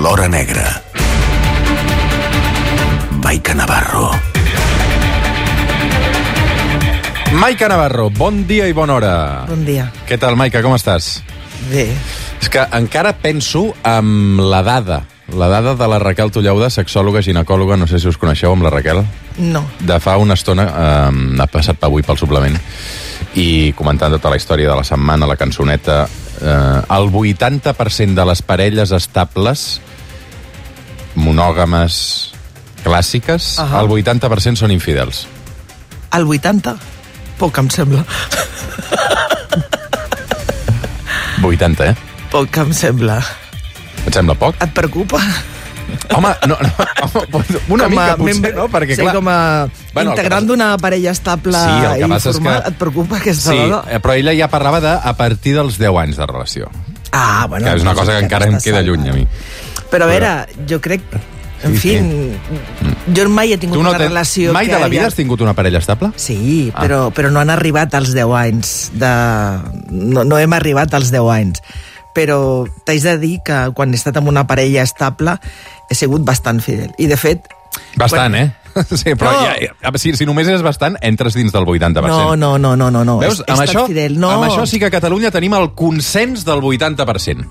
l'hora negra. Maica Navarro. Maica Navarro, bon dia i bona hora. Bon dia. Què tal, Maica, com estàs? Bé. És que encara penso amb la dada de la Raquel Tullauda, sexòloga, ginecòloga, no sé si us coneixeu amb la Raquel. No. De fa una estona, ha passat avui pel suplement, i comentant tota la història de la setmana, la cançoneta, el 80% de les parelles estables, monògames, clàssiques, el 80% són infidels. El 80? Poc, em sembla. 80, Poc, em sembla. Et sembla poc? Et preocupa? Home, no, una mica potser, no? Perquè, sí, clar, com a integrant d'una parella estable i formal, et preocupa aquesta dada? Sí, però ella ja parlava de a partir dels 10 anys de relació. Ah, bueno. Que és una cosa que encara em queda lluny, a mi. Però a veure, jo crec... En fi, jo mai he tingut una relació... Mai de la vida has tingut una parella estable? Sí, però no han arribat als 10 anys. No hem arribat als 10 anys. Però t'haig de dir que quan he estat amb una parella estable he sigut bastant fidel. I, de fet... Bastant, Sí, però si només és bastant, entres dins del 80%. No. Veus, amb això sí que a Catalunya tenim el consens del 80%.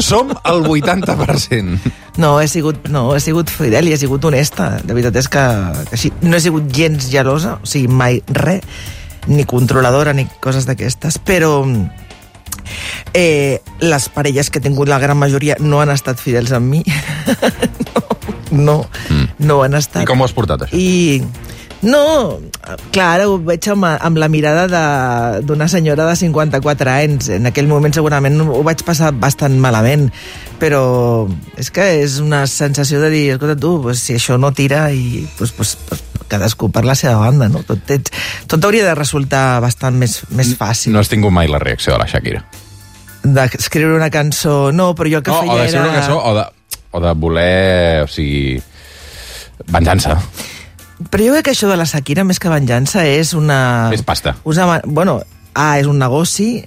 Som el 80%. No, he sigut fidel i he sigut honesta. La veritat és que sí, no he sigut gens gelosa, o sigui, mai res, ni controladora, ni coses d'aquestes, però les parelles que he tingut, la gran majoria, no han estat fidels amb mi. No han estat. I com ho has portat, això? No, clar, ara ho veig amb la mirada d'una senyora de 54 anys. En aquell moment segurament ho vaig passar bastant malament, però és que és una sensació de dir, escolta tu, pues, si això no tira, i pues, cadascú per la seva banda, no? Tot hauria de resultar bastant més fàcil. No has tingut mai la reacció de la Shakira? D'escriure una cançó, no, però jo el que feia era... O d'escriure una cançó, o de voler, o sigui, venjança. Però jo crec que això de la Shakira, més que venjança, és una... És pasta. És un negoci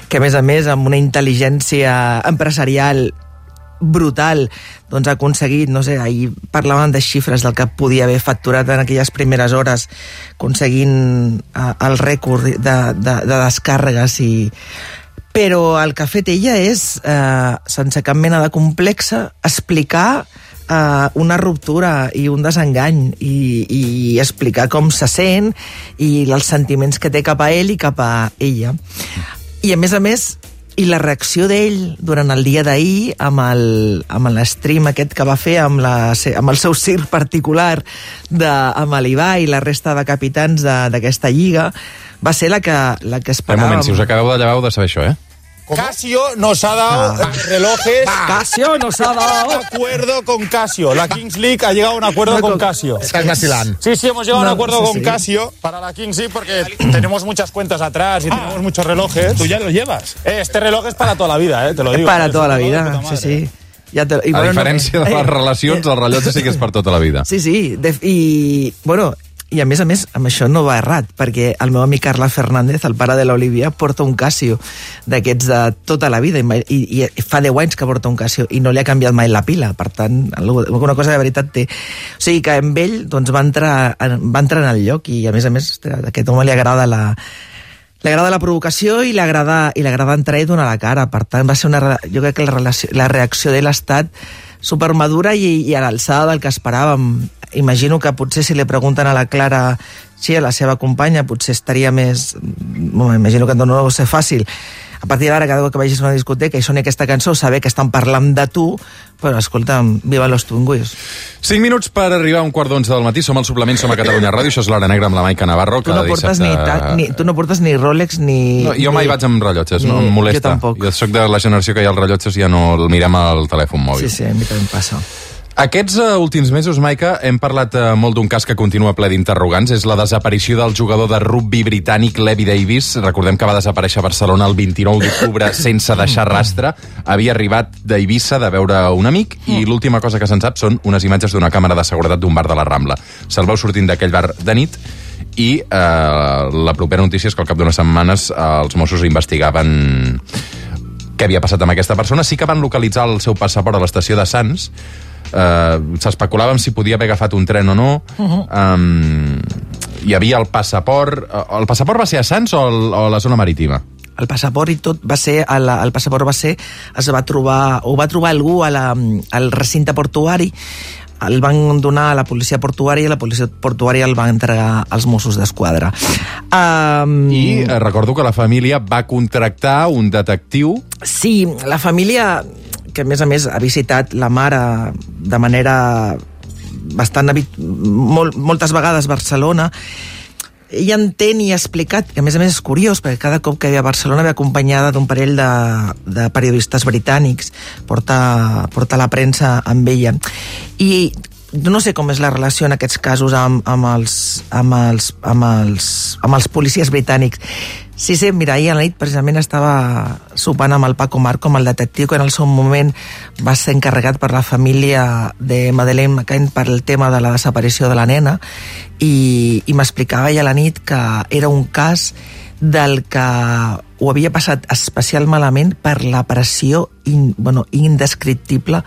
que, a més, amb una intel·ligència empresarial brutal, doncs ha aconseguit, no sé, ahir parlaven de xifres del que podia haver facturat en aquelles primeres hores, aconseguint el rècord de descàrregues i... Però el que ha fet ella és, sense cap mena de complexa, explicar una ruptura i un desengany i explicar com se sent i els sentiments que té cap a ell i cap a ella. I a més, i la reacció d'ell durant el dia d'ahir amb l'stream aquest que va fer amb el seu circ particular amb l'Ibai i la resta de capitans d'aquesta lliga va ser la que esperàvem. Un moment, si us acabeu de llevar, heu de saber això, Casio nos ha dado relojes. Casio nos ha dado. Acuerdo con Casio. La Kings League ha llegado a un acuerdo con Casio. Estás vacilando. Sí, hemos llegado a un acuerdo con Casio para la Kings League porque tenemos muchas cuentas atrás y tenemos muchos relojes. ¿Tú ya los llevas? Este reloj es para toda la vida, te lo digo. Para toda la vida, sí. A diferència de les relacions, el rellotge sí que és per tota la vida. Sí, i a més, amb això no va errat, perquè el meu amic Carla Fernández, el pare de l'Olivia, porta un Casio d'aquests de tota la vida, i fa 10 anys que porta un Casio, i no li ha canviat mai la pila, per tant, alguna cosa de veritat té. O sigui que amb ell doncs, va entrar en el lloc, i a més, a aquest home li agrada la provocació i li agrada entrar i donar la cara. Per tant, va ser jo crec que la reacció de l'estat supermadura i a l'alçada del que esperàvem. Imagino que potser si li pregunten a la Clara, sí, a la seva companya, potser estaria més... Imagino que no deu ser fàcil. A partir d'ara, cada cop que vagis a una discoteca i soni aquesta cançó, saber que estan parlant de tu, però, escolta'm, viva los tunguis. 5 minuts per arribar a 11:15 del matí. Som al suplement, som a Catalunya Ràdio. Això és l'Hora Negra amb la Maica Navarro. Tu no portes ni Rolex ni... No, jo mai vaig amb rellotges, no em molesta. Jo tampoc. Jo soc de la generació que ja els rellotges ja no el mirem al telèfon mòbil. Sí, a mi també em passa. Aquests últims mesos, Maica, hem parlat molt d'un cas que continua ple d'interrogants. És la desaparició del jugador de rugbi britànic Levi Davis. Recordem que va desaparèixer a Barcelona el 29 d'octubre sense deixar rastre. Havia arribat d'Eivissa de veure un amic i l'última cosa que se'n sap són unes imatges d'una càmera de seguretat d'un bar de la Rambla. Se'l veu sortint d'aquell bar de nit i la propera notícia és que al cap d'unes setmanes els Mossos investigaven què havia passat amb aquesta persona. Sí que van localitzar el seu passaport a l'estació de Sants. S'especulàvem si podia haver agafat un tren o no. Hi havia el passaport. El passaport va ser a Sants o a la zona marítima? El passaport i tot va ser... El passaport va ser... va trobar algú al recinte portuari, el van donar a la policia portuària i la policia portuària el va entregar als Mossos d'Esquadra. I recordo que la família va contractar un detectiu. Sí, la família, que a més ha visitat la mare de manera bastant moltes vegades a Barcelona, ella entén i ha explicat, que a més és curiós, perquè cada cop que ve a Barcelona ve acompanyada d'un parell de periodistes britànics, porta la premsa amb ella. I no sé com és la relació en aquests casos amb els policies britànics. Sí, mira, ahir a la nit precisament estava sopant amb el Paco Marco, amb el detectiu, que en el seu moment va ser encarregat per la família de Madeleine McCann per el tema de la desaparició de la nena, i m'explicava ahir a la nit que era un cas del que ho havia passat especial malament per la pressió indescriptible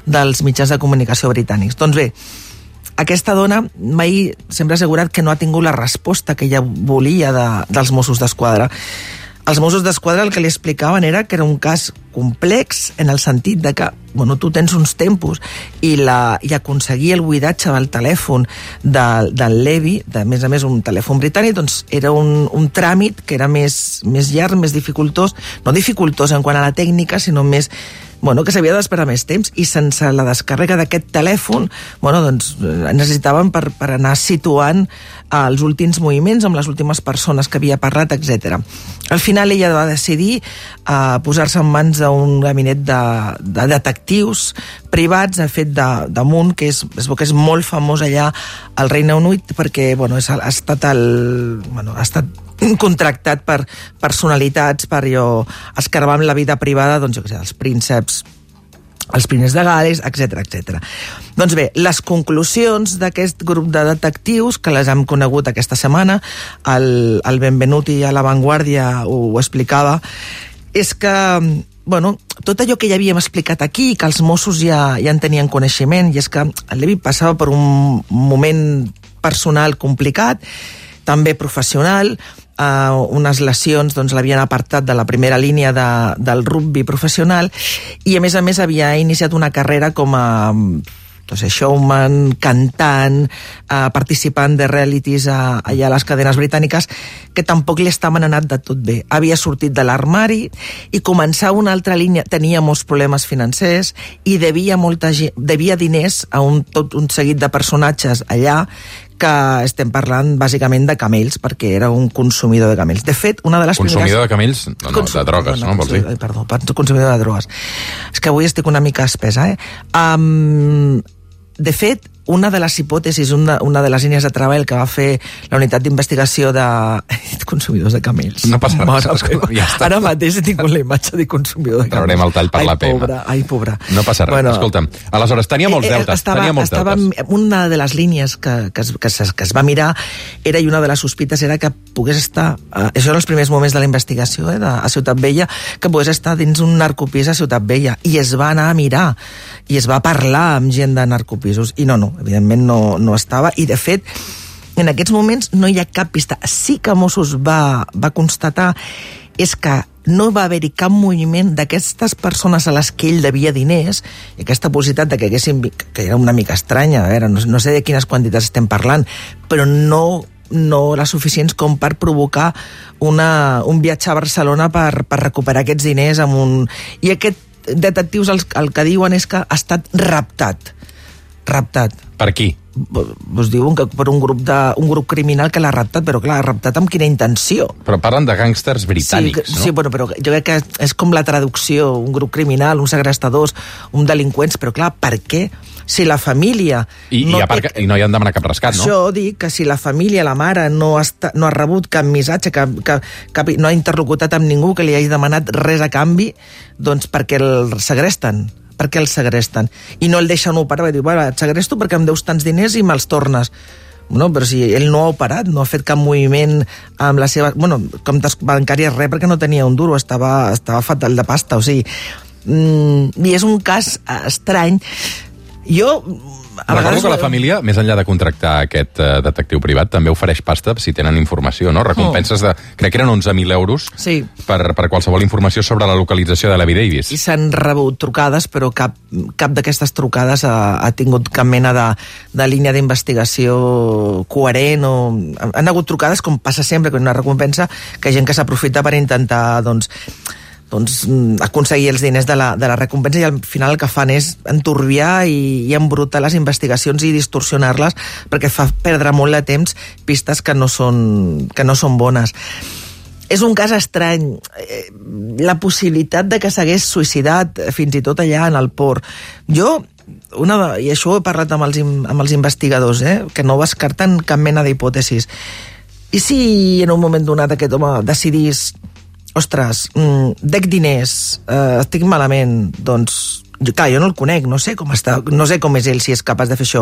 dels mitjans de comunicació britànics. Doncs bé, aquesta dona mai sempre ha assegurat que no ha tingut la resposta que ella volia dels Mossos d'Esquadra. Els Mossos d'Esquadra el que li explicaven era que era un cas complex en el sentit de que tu tens uns tempos i aconseguir el buidatge del telèfon del Levi, a més un telèfon britànic, doncs era un tràmit que era més llarg, més dificultós, no dificultós en quant a la tècnica, sinó més que s'havia d'esperar més temps, i sense la descàrrega d'aquest telèfon doncs necessitaven per anar situant els últims moviments amb les últimes persones que havia parlat, etc. Al final ella va decidir posar-se en mans d'un gabinet de detectius privats, fet d'Amunt, que es veu que és molt famós allà al Regne Unit, perquè ha estat contractat per personalitats, per escarbar amb la vida privada, dels prínceps, els primers de Gales, etc. Doncs bé, les conclusions d'aquest grup de detectius, que les hem conegut aquesta setmana, el Benvenuti a La Vanguardia ho explicava, és que tot allò que ja havíem explicat aquí, que els Mossos ja en tenien coneixement, i és que el Levi passava per un moment personal complicat, també professional, unes lesions l'havien apartat de la primera línia del rugby professional, i a més havia iniciat una carrera com a showman, cantant, participant de realities allà a les cadenes britàniques, que tampoc li estaven anat de tot bé. Havia sortit de l'armari i començava una altra línia, tenia molts problemes financers i devia diners a tot un seguit de personatges allà, que estem parlant bàsicament de camells, perquè era un consumidor de camells. De fet, una de les consumidor de camells? No, de drogues, no? Vols dir? Perdó, consumidor de drogues. És que avui estic una mica espesa, De fet, una de les hipòtesis, una de les línies de treball que va fer la unitat d'investigació de consumidors de camells. No passa res. Ja està. Ara mateix he tingut la imatge de consumidor de camells. Traurem el tall per la pema. Ai, pobra. No passa res. Escolta'm, aleshores, tenia molts deutes. Una de les línies que es va mirar era, i una de les sospites era que pogués estar, això eren els primers moments de la investigació a Ciutat Vella, que pogués estar dins un narcopís a Ciutat Vella, i es va anar a mirar i es va parlar amb gent de narcopisos, i no, evidentment no estava, i de fet en aquests moments no hi ha cap pista. Sí que Mossos va constatar és que no va haver-hi cap moviment d'aquestes persones a les que ell devia diners, i aquesta possibilitat de que haguessin, que era una mica estranya, no sé de quines quantitats estem parlant, però no les suficients com per provocar un viatge a Barcelona per recuperar aquests diners i aquests detectius el que diuen és que ha estat raptat. Per qui? Us diuen que per un grup criminal que l'ha raptat, però clar, raptat amb quina intenció? Però parlen de gàngsters britànics, no? Sí, però jo crec que és com la traducció, un grup criminal, uns segrestadors, uns delinqüents, però clar, per què? Si la família... I no hi han demanat cap rescat, no? Això dic que si la família, la mare, no ha rebut cap missatge, no ha interlocutat amb ningú que li hagi demanat res a canvi, doncs perquè el segresten. I no el deixen operar, va dir, et segresto perquè em deus tants diners i me'ls tornes. No, però si ell no ha operat, no ha fet cap moviment amb la seva... comptes bancàries, res, perquè no tenia un duro, estava fatal de pasta, o sigui... I és un cas estrany. Jo... Recordo que la família, més enllà de contractar aquest detectiu privat, també ofereix pasta si tenen informació, no? Recompenses de... Crec que eren 11.000 euros per qualsevol informació sobre la localització de l'Abby Davis. I s'han rebut trucades, però cap d'aquestes trucades ha tingut cap mena de línia d'investigació coherent. Han hagut trucades, com passa sempre, que una recompensa, que gent que s'aprofita per intentar, doncs aconseguir els diners de la recompensa, i al final el que fan és enturbiar i embrutar les investigacions i distorsionar-les, perquè fa perdre molt de temps pistes que no són bones. És un cas estrany. La possibilitat de que s'hagués suïcidat fins i tot allà en el port. I això ho he parlat amb els investigadors, que no descarten cap mena d'hipòtesis. I si en un moment donat aquest home decidís: ostres, dec diners, estic malament, doncs... Clar, jo no el conec, no sé com està, no sé com és ell, si és capaç de fer això.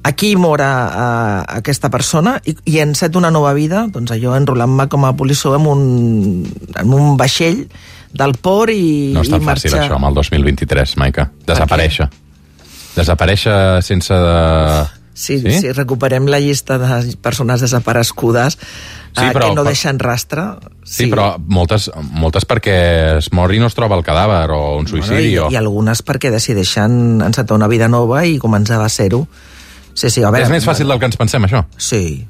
Aquí mor aquesta persona i encet una nova vida, doncs allò, enrolant-me com a polissó en un vaixell del port i no és tan fàcil, això, amb el 2023, Maica. Desaparèixer. Desaparèixer sense... Sí, recuperem la llista de persones desaparegudes que no deixen rastre. Sí, però moltes perquè es mor i no es troba el cadàver o un suïcidi. I algunes perquè decideixen encetar una vida nova i començar a zero. Sí, a veure, és més fàcil del que ens pensem, això. Sí.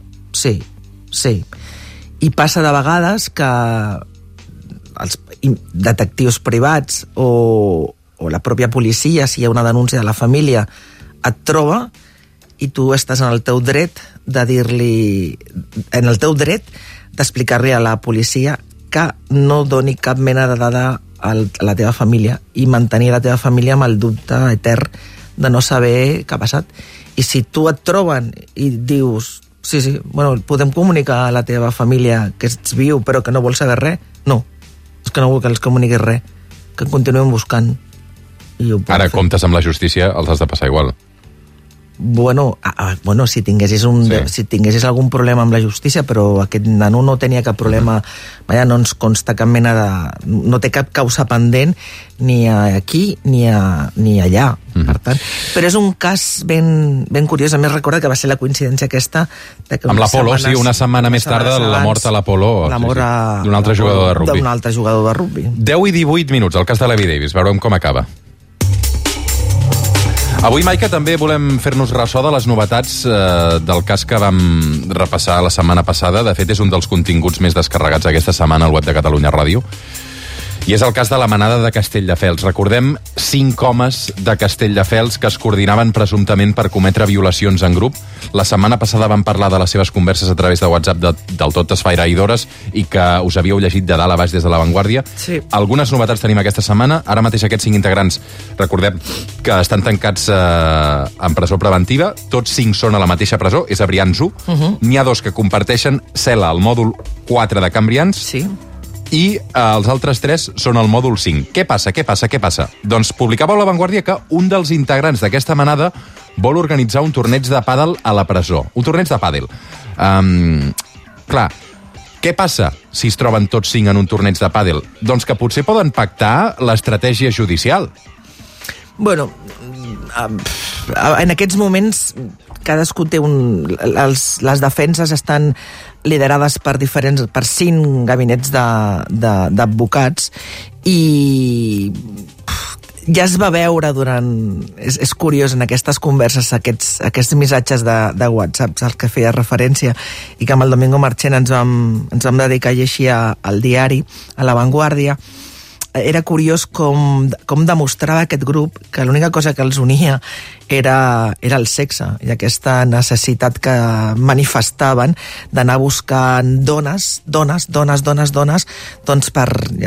I passa de vegades que els detectius privats o la pròpia policia, si hi ha una denúncia de la família, et troba i tu estàs en el teu dret de dir-li... en el teu dret d'explicar-li a la policia que no doni cap mena de dada a la teva família i mantenir la teva família amb el dubte etern de no saber què ha passat. I si tu et troben i dius: sí, podem comunicar a la teva família que ets viu però que no vols saber res, no, és que no vull que els comuniquis res, que continuem buscant. Ara, comptes amb la justícia, els has de passar igual. Si tinguessis algun problema amb la justícia, però aquest nano no tenia cap problema, no ens consta cap mena de... no té cap causa pendent ni aquí ni allà, per tant. Però és un cas ben curiós. A més, recorda que va ser la coincidència aquesta amb l'Apolo, una setmana més tard de la mort a l'Apolo, d'un altre jugador de rugbi. D'un altre jugador de rugbi. 10 i 18 minuts, el cas de l'Abby Davis. Veurem com acaba. Avui, Maica, també volem fer-nos ressò de les novetats del cas que vam repassar la setmana passada. De fet, és un dels continguts més descarregats aquesta setmana al web de Catalunya Ràdio. I és el cas de la manada de Castelldefels. Recordem 5 homes de Castelldefels que es coordinaven presumptament per cometre violacions en grup. La setmana passada vam parlar de les seves converses a través de WhatsApp del tot esfairadores i que us havíeu llegit de dalt a baix des de La Vanguardia. Sí. Algunes novetats tenim aquesta setmana. Ara mateix aquests 5 integrants, recordem que estan tancats en presó preventiva. Tots 5 són a la mateixa presó, és a Brians 1. N'hi ha 2 que comparteixen cel·la al mòdul 4 de Can Brians. Sí. I els altres 3 són al mòdul 5. Què passa? Doncs publicava a La Vanguardia que un dels integrants d'aquesta manada vol organitzar un torneig de pàdel a la presó. Un torneig de pàdel. Clar, què passa si es troben tots 5 en un torneig de pàdel? Doncs que potser poden pactar l'estratègia judicial. En aquests moments cadascú té les defenses estan liderades per 5 gabinets d'advocats i ja es va veure és curiós en aquestes converses, aquests missatges de WhatsApp als que feia referència i que amb el Domingo Marchena ens vam dedicar a llegir al diari, a La Vanguardia. Era curiós com demostrava aquest grup que l'única cosa que els unia era el sexe i aquesta necessitat que manifestaven d'anar buscant dones, doncs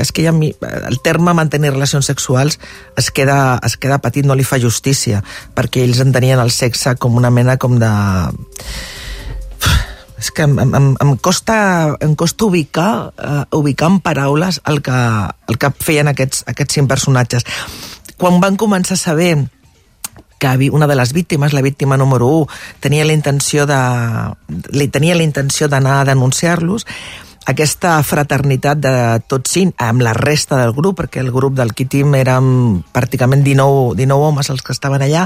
és que el terme mantenir relacions sexuals es queda petit, no li fa justícia, perquè ells entenien el sexe com una mena com de... És que em costa ubicar en paraules el que feien aquests 5 personatges. Quan van començar a saber que una de les víctimes, la víctima número 1, tenia la intenció d'anar a denunciar-los. Aquesta fraternitat de tots 5 amb la resta del grup, perquè el grup del Quim érem pràcticament 19 homes els que estaven allà,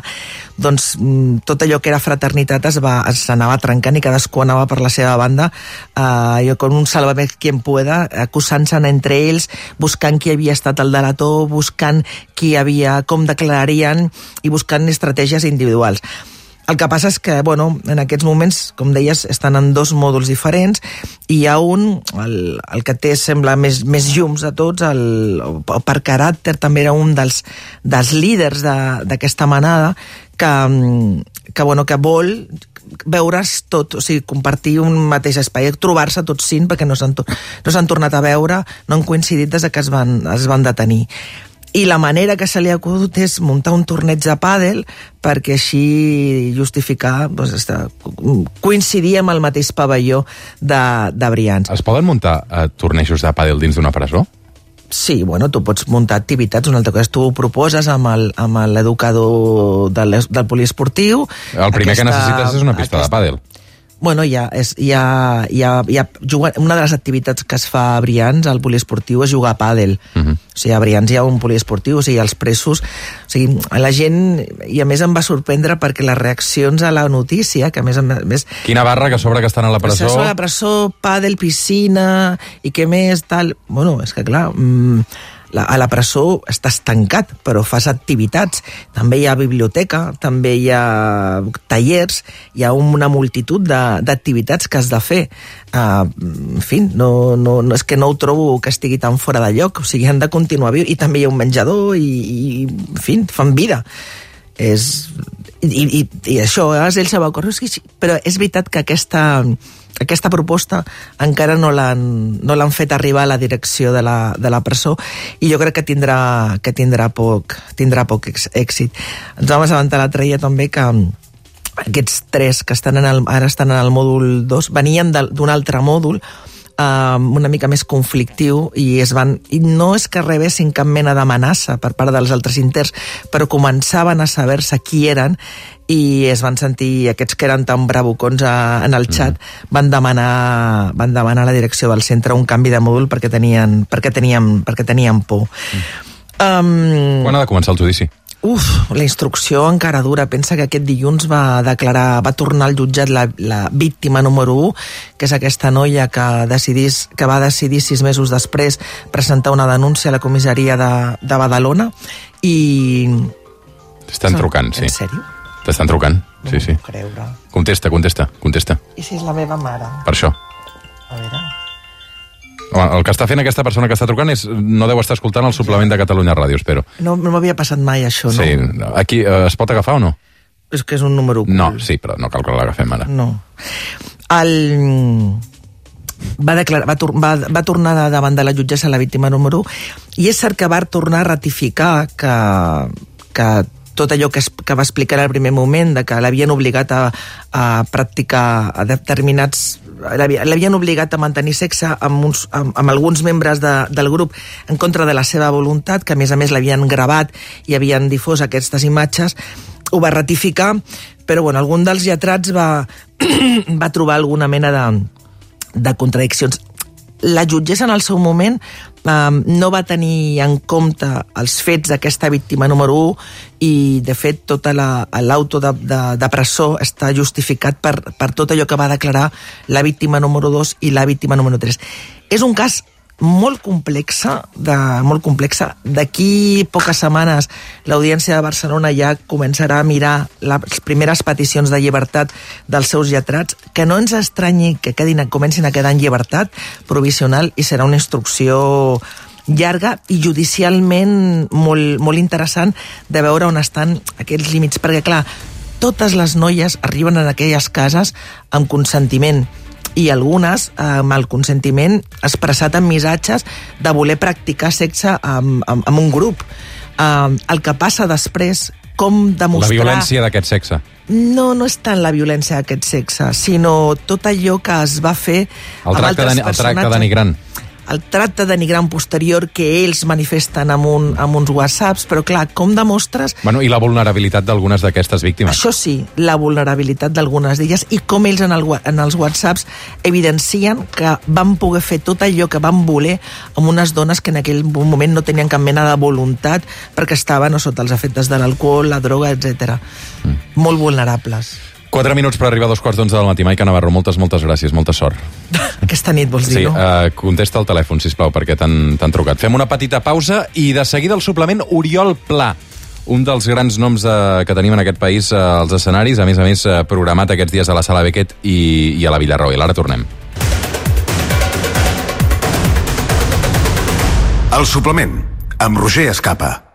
doncs tot allò que era fraternitat s'anava trencant i cadascú anava per la seva banda, com un sálvame quien pueda, acusant-se entre ells, buscant qui havia estat el delator, buscant com declararien i buscant estratègies individuals. El que passa és que, en aquests moments, com deies, estan en 2 mòduls diferents i hi ha un, el que té, sembla, més llums de tots, per caràcter, també era un dels líders d'aquesta manada que vol veure's tot, o sigui, compartir un mateix espai, trobar-se tots 5 perquè no s'han tornat a veure, no han coincidit des que es van detenir. I la manera que se li ha acudit és muntar un torneig de pàdel perquè així justificar, coincidir amb el mateix pavelló de Brians. Es poden muntar tornejos de pàdel dins d'una presó? Sí, tu pots muntar activitats, una altra cosa, tu ho proposes amb l'educador del poliesportiu. El primer que necessites és una pista de pàdel. Una de les activitats que es fa a Brians, al poliesportiu, és jugar a pàdel. O sigui, a Brians hi ha un poliesportiu, o sigui, els presos... O sigui, la gent... I a més em va sorprendre perquè les reaccions a la notícia, que a més... Quina barra que sobre que estan a la presó... A la presó, pàdel, piscina, i què més, tal... És que clar... A la presó estàs tancat, però fas activitats. També hi ha biblioteca, també hi ha tallers, hi ha una multitud d'activitats que has de fer. En fi, és que no ho trobo que estigui tan fora de lloc. O sigui, han de continuar viu. I també hi ha un menjador i en fi, fan vida. I això, ell se va córrer. Però és veritat que aquesta proposta encara no l'han fet arribar a la direcció de la presó i jo crec que tindrà poc èxit. Ens vam assabentar l'altre dia també que aquests 3 que ara estan en el mòdul 2 venien d'un altre mòdul una mica més conflictiu i no és que rebessin cap mena d'amenaça per part dels altres interns, però començaven a saber-se qui eren i es van sentir, aquests que eren tan bravucons en el xat, van demanar a la direcció del centre un canvi de mòdul perquè tenien por. Quan ha de començar el judici? La instrucció encara dura. Pensa que aquest dilluns va tornar al jutjat la víctima número 1, que és aquesta noia que va decidir 6 mesos després presentar una denúncia a la comissaria de Badalona i... T'estan trucant, sí. En sèrio? T'estan trucant, sí. No puc creure. Contesta. I si és la meva mare? Per això. A veure... El que està fent aquesta persona que està trucant no deu estar escoltant el suplement de Catalunya Ràdio, espero. No m'havia passat mai això, no? Sí, aquí es pot agafar o no? És que és un número ocult. No, sí, però no cal que l'agafem ara. No. Va tornar davant de la jutgessa la víctima número 1 i és cert que va tornar a ratificar que tot allò que va explicar al primer moment, de que l'havien obligat a practicar a determinats... L'havien obligat a mantenir sexe amb alguns membres del grup en contra de la seva voluntat, que a més l'havien gravat i havien difós aquestes imatges, ho va ratificar, però algun dels lletrats va trobar alguna mena de contradiccions. La jutgessa en el seu moment no va tenir en compte els fets d'aquesta víctima número 1 i, de fet, tot l'auto de presó està justificat per tot allò que va declarar la víctima número 2 i la víctima número 3. És un cas molt complexa. D'aquí poques setmanes l'Audiència de Barcelona ja començarà a mirar les primeres peticions de llibertat dels seus lletrats, que no ens estranyi que comencin a quedar en llibertat provisional i serà una instrucció llarga i judicialment molt interessant de veure on estan aquests límits, perquè clar, totes les noies arriben a aquelles cases amb consentiment i algunes amb el consentiment expressat en missatges de voler practicar sexe amb un grup. El que passa després, com demostrar... La violència d'aquest sexe. No és tant la violència d'aquest sexe, sinó tot allò que es va fer amb altres personatges. El tracte denigrant. el tracte denigrant posterior que ells manifesten amb uns whatsapps, però clar, com demostres... Bueno, i la vulnerabilitat d'algunes d'aquestes víctimes. Això sí, la vulnerabilitat d'algunes d'elles i com ells en els whatsapps evidencien que van poder fer tot allò que van voler amb unes dones que en aquell moment no tenien cap mena de voluntat perquè estaven sota els efectes de l'alcohol, la droga, etc. Molt vulnerables. 4 minuts per arribar a 2:15 del matí. Maica Navarro, moltes gràcies, molta sort. Aquesta nit, vols dir, no? Sí, contesta el telèfon, sisplau, perquè t'han trucat. Fem una petita pausa i de seguida el suplement Oriol Pla, un dels grans noms que tenim en aquest país als escenaris, a més, programat aquests dies a la Sala Beckett i a la Villarroel. Ara tornem. El suplement, amb Roger Escapa.